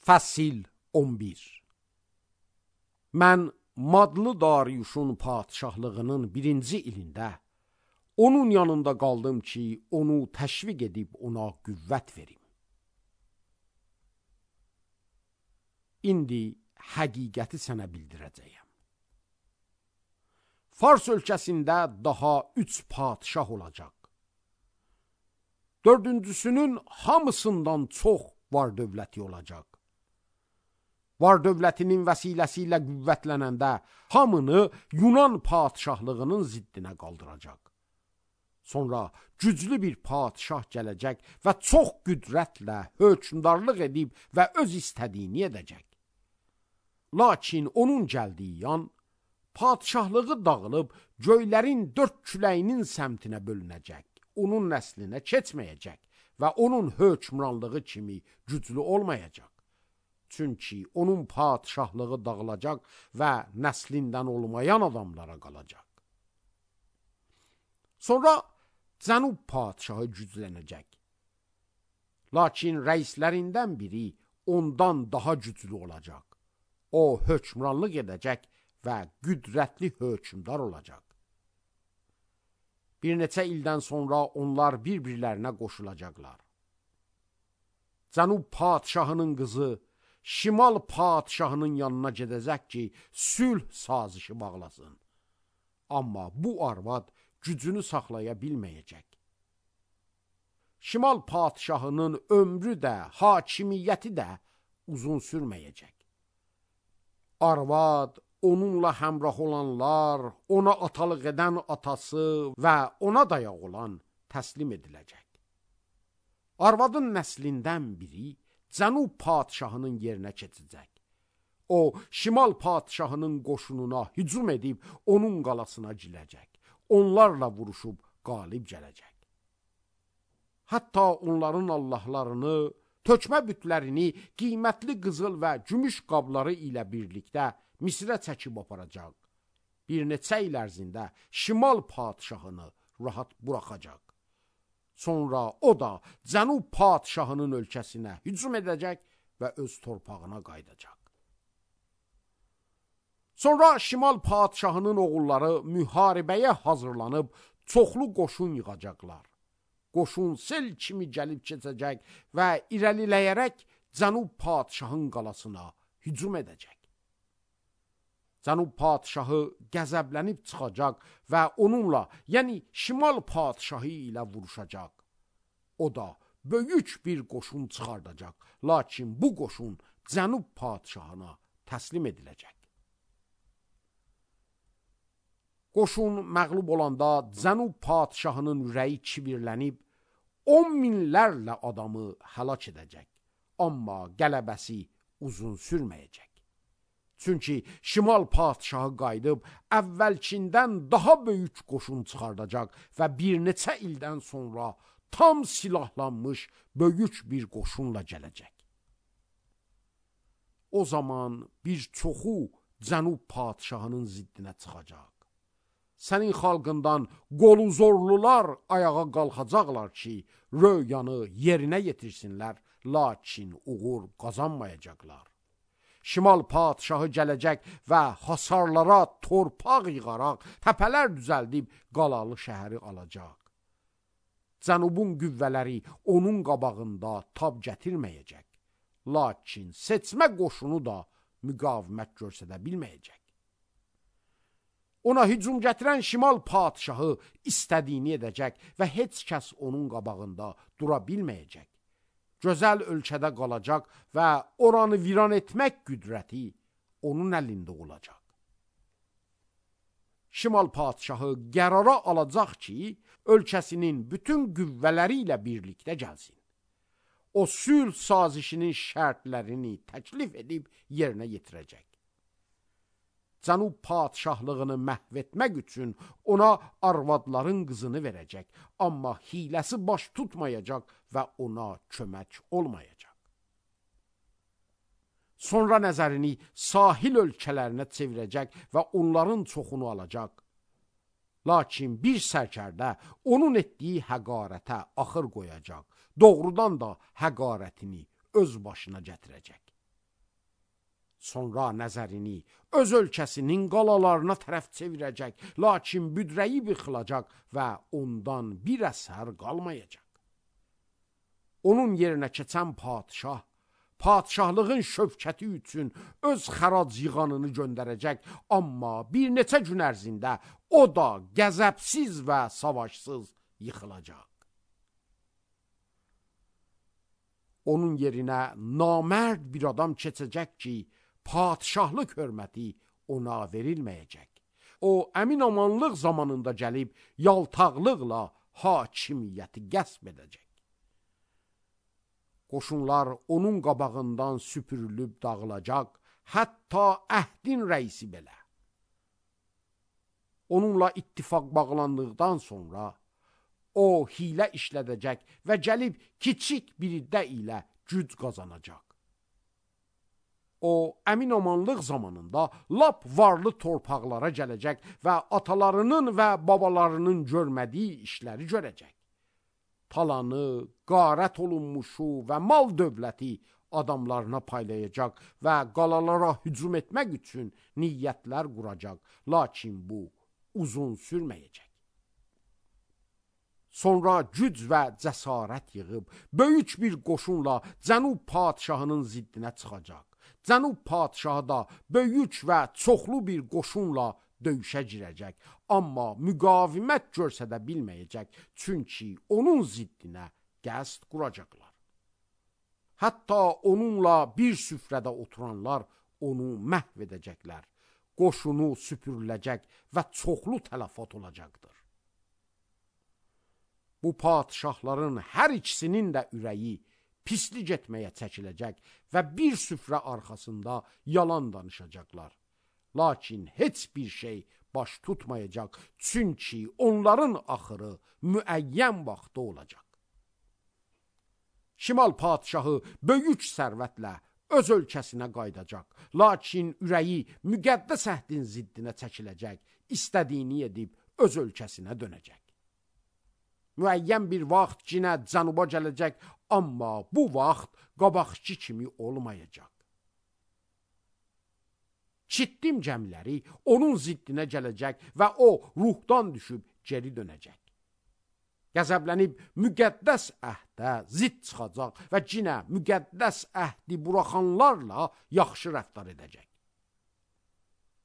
Fəsil 11. Mən Madlı Dariyuşun padişahlığının 1-ci ilində onun yanında qaldım ki, onu təşviq edib ona qüvvət verim. İndi həqiqəti sənə bildirəcəyəm. Fars ölkəsində daha 3 padişah olacaq. 4-cüsünün hamısından çox var dövləti olacaq. Var dövlətinin vəsiləsi ilə qüvvətlənəndə hamını Yunan padişahlığının ziddinə qaldıracaq. Sonra güclü bir padişah gələcək və çox qüdrətlə hökmdarlıq edib və öz istədiyini edəcək. Lakin onun gəldiyi yan, padişahlığı dağılıb göylərin 4 küləyinin səmtinə bölünəcək, onun nəslinə keçməyəcək və onun hökmranlığı kimi güclü olmayacaq. Çünki onun padişahlığı dağılacaq və nəslindən olmayan adamlara qalacaq. Sonra Cənub padişahı güclənəcək. Lakin rəislərindən biri ondan daha güclü olacaq. O hökmranlıq edəcək və qüdrətli hökmdar olacaq. Bir neçə ildən sonra onlar bir-birlərinə qoşulacaqlar. Cənub padişahının qızı Şimal padişahının yanına gedəcək ki, sülh sazişi bağlasın. Amma bu arvad gücünü saxlaya bilməyəcək. Şimal padişahının ömrü də, hakimiyyəti də uzun sürməyəcək. Arvad, onunla həmrah olanlar, ona atalıq edən atası və ona dayaq olan təslim ediləcək. Arvadın nəslindən biri Cənub padişahının yerinə keçəcək. O, Şimal padişahının qoşununa hücum edib onun qalasına girəcək. Onlarla vuruşub qalib gələcək. Hətta onların allahlarını, tökmə bütlərini, qiymətli qızıl və gümüş qabları ilə birlikdə Misrə çəkib aparacaq. Bir neçə il ərzində Şimal padişahını rahat buraxacaq. Sonra o da Cənub padişahının ölkəsinə hücum edəcək və öz torpağına qayıdacaq. Sonra Şimal padişahının oğulları müharibəyə hazırlanıb çoxlu qoşun yığacaqlar. Qoşun sel kimi gəlib keçəcək və irəliləyərək Cənub padişahın qalasına hücum edəcək. Cənub padişahı qəzəblənib çıxacaq və onunla, yəni Şimal padişahı ilə vuruşacaq. O da böyük bir qoşun çıxardacaq, lakin bu qoşun Cənub padişahına təslim ediləcək. Qoşun məğlub olanda Cənub padişahının ürəyi kibirlənib 10 minlərlə adamı həlak edəcək. Amma qələbəsi uzun sürməyəcək. Çünki Şimal padişahı qayıdıb əvvəlkindən daha böyük qoşun çıxardacaq və bir neçə ildən sonra tam silahlanmış böyük bir qoşunla gələcək. O zaman bir çoxu Cənub padişahının ziddinə çıxacaq. Sənin xalqından qolu zorlular ayağa qalxacaqlar ki, röyanı yerinə yetirsinlər, lakin uğur qazanmayacaqlar. Şimal padişahı gələcək və hasarlara torpaq yığaraq, təpələr düzəldib qalalı şəhəri alacaq. Cənubun qüvvələri onun qabağında tab gətirməyəcək. Lakin seçmə qoşunu da müqavimət göstərə bilməyəcək. Ona hücum gətirən Şimal padişahı istədiyini edəcək və heç kəs onun qabağında dura bilməyəcək. Gözəl ölkədə qalacaq və oranı viran etmək qüdrəti onun əlində olacaq. Şimal padişahı qərara alacaq ki, ölkəsinin bütün qüvvələri ilə birlikdə gəlsin. O sülh sazişinin şərtlərini təklif edib yerinə yetirəcək. Cənub padişahlığını məhv etmək üçün ona arvadların qızını verəcək, amma hiləsi baş tutmayacaq və ona kömək olmayacaq. Sonra nəzərini sahil ölkələrinə çevirəcək və onların çoxunu alacaq. Lakin bir sərkərdə onun etdiyi həqarətə axır qoyacaq, doğrudan da həqarətini öz başına gətirəcək. Sonra nəzərini öz ölkəsinin qalalarına tərəf çevirəcək, lakin büdrəyib yıxılacaq və ondan bir əsər qalmayacaq. Onun yerinə keçən padişah, padişahlığın şövkəti üçün öz xərac yığanını göndərəcək, amma bir neçə gün ərzində o da qəzəbsiz və savaşsız yıxılacaq. Onun yerinə namərd bir adam keçəcək ki, padişahlıq hörməti ona verilməyəcək. O, əmin-amanlıq zamanında gəlib, yaltaqlıqla hakimiyyəti qəsb edəcək. Qoşunlar onun qabağından süpürülüb dağılacaq, hətta əhdin rəisi belə. Onunla ittifaq bağlandıqdan sonra, o hilə işlədəcək və gəlib kiçik bir iddə ilə güc qazanacaq. O, əmin-amanlıq zamanında lap varlı torpaqlara gələcək və atalarının və babalarının görmədiyi işləri görəcək. Talanı, qarət olunmuşu və mal dövləti adamlarına paylayacaq və qalalara hücum etmək üçün niyyətlər quracaq, lakin bu uzun sürməyəcək. Sonra güc və cəsarət yığıb, böyük bir qoşunla Cənub padişahının ziddinə çıxacaq. Cənub padişahı da böyük və çoxlu bir qoşunla döyüşə girəcək, amma müqavimət görsədə bilməyəcək, çünki onun ziddinə qəsd quracaqlar. Hətta onunla bir süfrədə oturanlar onu məhv edəcəklər, qoşunu süpürüləcək və çoxlu tələfat olacaqdır. Bu padişahların hər ikisinin də ürəyi pislik etməyə çəkiləcək və bir süfrə arxasında yalan danışacaqlar. Lakin heç bir şey baş tutmayacaq, çünki onların axırı müəyyən vaxtda olacaq. Şimal padişahı böyük sərvətlə öz ölkəsinə qaydacaq, lakin ürəyi müqəddəs əhdin ziddinə çəkiləcək, istədiyini edib öz ölkəsinə dönəcək. Müəyyən bir vaxt cinə cənuba gələcək, amma bu vaxt qabaqçı kimi olmayacaq. Çittim gəmiləri onun ziddinə gələcək və o ruhdan düşüb geri dönəcək. Qəzəblənib müqəddəs əhdə zidd çıxacaq və cinə müqəddəs əhdi buraxanlarla yaxşı rəftar edəcək.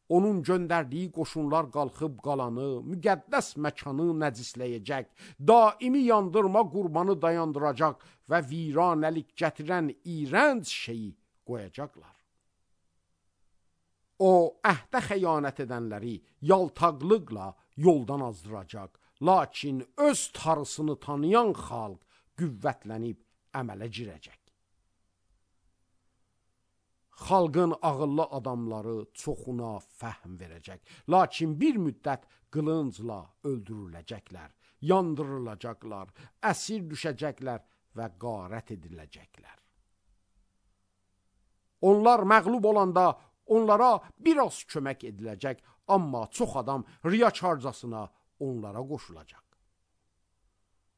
Onun göndərdiyi qoşunlar qalxıb qalanı, müqəddəs məkanı nəcisləyəcək, daimi yandırma qurbanı dayandıracaq və viranəlik gətirən iyrənc şeyi qoyacaqlar. O, əhdə xəyanət edənləri yaltaqlıqla yoldan azdıracaq, lakin öz tarısını tanıyan xalq qüvvətlənib əmələ girəcək. Xalqın ağıllı adamları çoxuna fəhm verəcək, lakin bir müddət qılıncla öldürüləcəklər, yandırılacaqlar, əsir düşəcəklər və qarət ediləcəklər. Onlar məğlub olanda onlara biraz kömək ediləcək, amma çox adam riyakarcasına onlara qoşulacaq.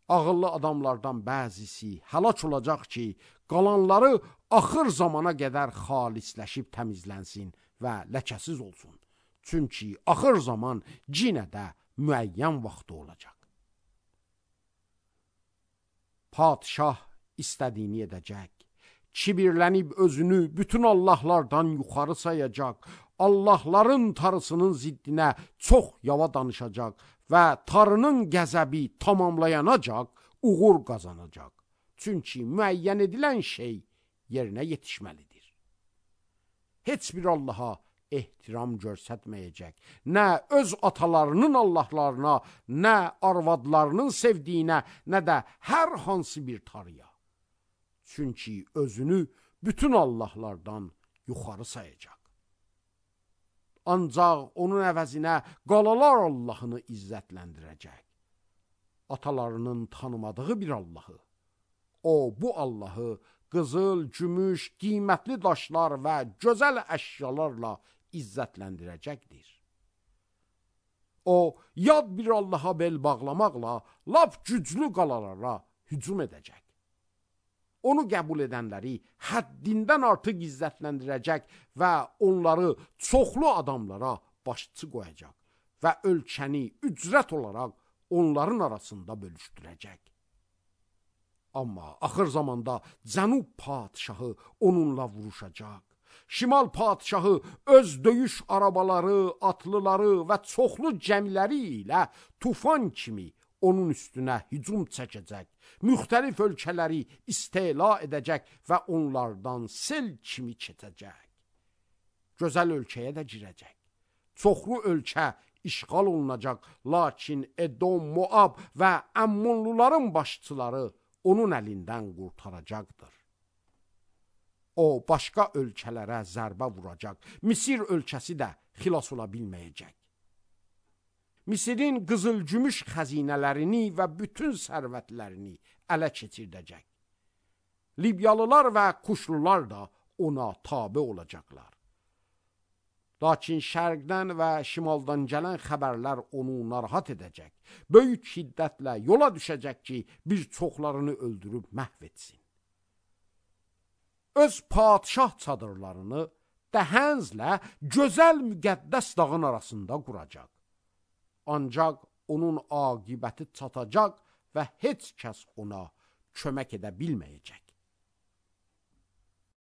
Ağıllı adamlardan bəzisi həlak olacaq ki, qalanları axır zamana qədər xalisləşib təmizlənsin və ləkəsiz olsun. Çünki axır zaman yenə də müəyyən vaxtı olacaq. Padişah istədiyini edəcək, kibirlənib özünü bütün Allahlardan yuxarı sayacaq, Allahların tarısının ziddinə çox yava danışacaq və tarının qəzəbi tamamlayanacaq, uğur qazanacaq. Çünki müəyyən edilən şey yerinə yetişməlidir. Heç bir Allaha ehtiram göstərməyəcək, nə öz atalarının Allahlarına, nə arvadlarının sevdiyinə, nə də hər hansı bir tarıya. Çünki özünü bütün Allahlardan yuxarı sayacaq. Ancaq onun əvəzinə qalalar Allahını izzətləndirəcək. Atalarının tanımadığı bir Allahı. O, bu Allahı qızıl, gümüş, qiymətli daşlar və gözəl əşyalarla izzətləndirəcəkdir. O, yad bir Allaha bel bağlamaqla lap güclü qalalara hücum edəcək. onu qəbul edənləri həddindən artıq izzətləndirəcək və onları çoxlu adamlara başçı qoyacaq və ölkəni ücrət olaraq onların arasında bölüşdürəcək. Amma axır zamanda Cənub padişahı onunla vuruşacaq. Şimal padişahı öz döyüş arabaları, atlıları və çoxlu cəmiləri ilə tufan kimi onun üstünə hücum çəkəcək, müxtəlif ölkələri istila edəcək və onlardan sel kimi keçəcək. Gözəl ölkəyə də girəcək. Çoxlu ölkə işğal olunacaq, lakin Edom, Moab və Əmmonluların başçıları onun əlindən qurtaracaqdır. O, başqa ölkələrə zərbə vuracaq. Misir ölkəsi də xilas ola bilməyəcək. Misirin qızıl-gümüş xəzinələrini və bütün sərvətlərini ələ keçirdəcək. Libyalılar və Kuşlular da ona tabe olacaqlar. Lakin şərqdən və şimaldan gələn xəbərlər onu narahat edəcək. Böyük şiddətlə yola düşəcək ki, bir çoxlarını öldürüb məhv etsin. Öz padişah çadırlarını Dəhənzlə gözəl müqəddəs dağın arasında quracaq. Ancaq onun aqibəti çatacaq və heç kəs ona kömək edə bilməyəcək.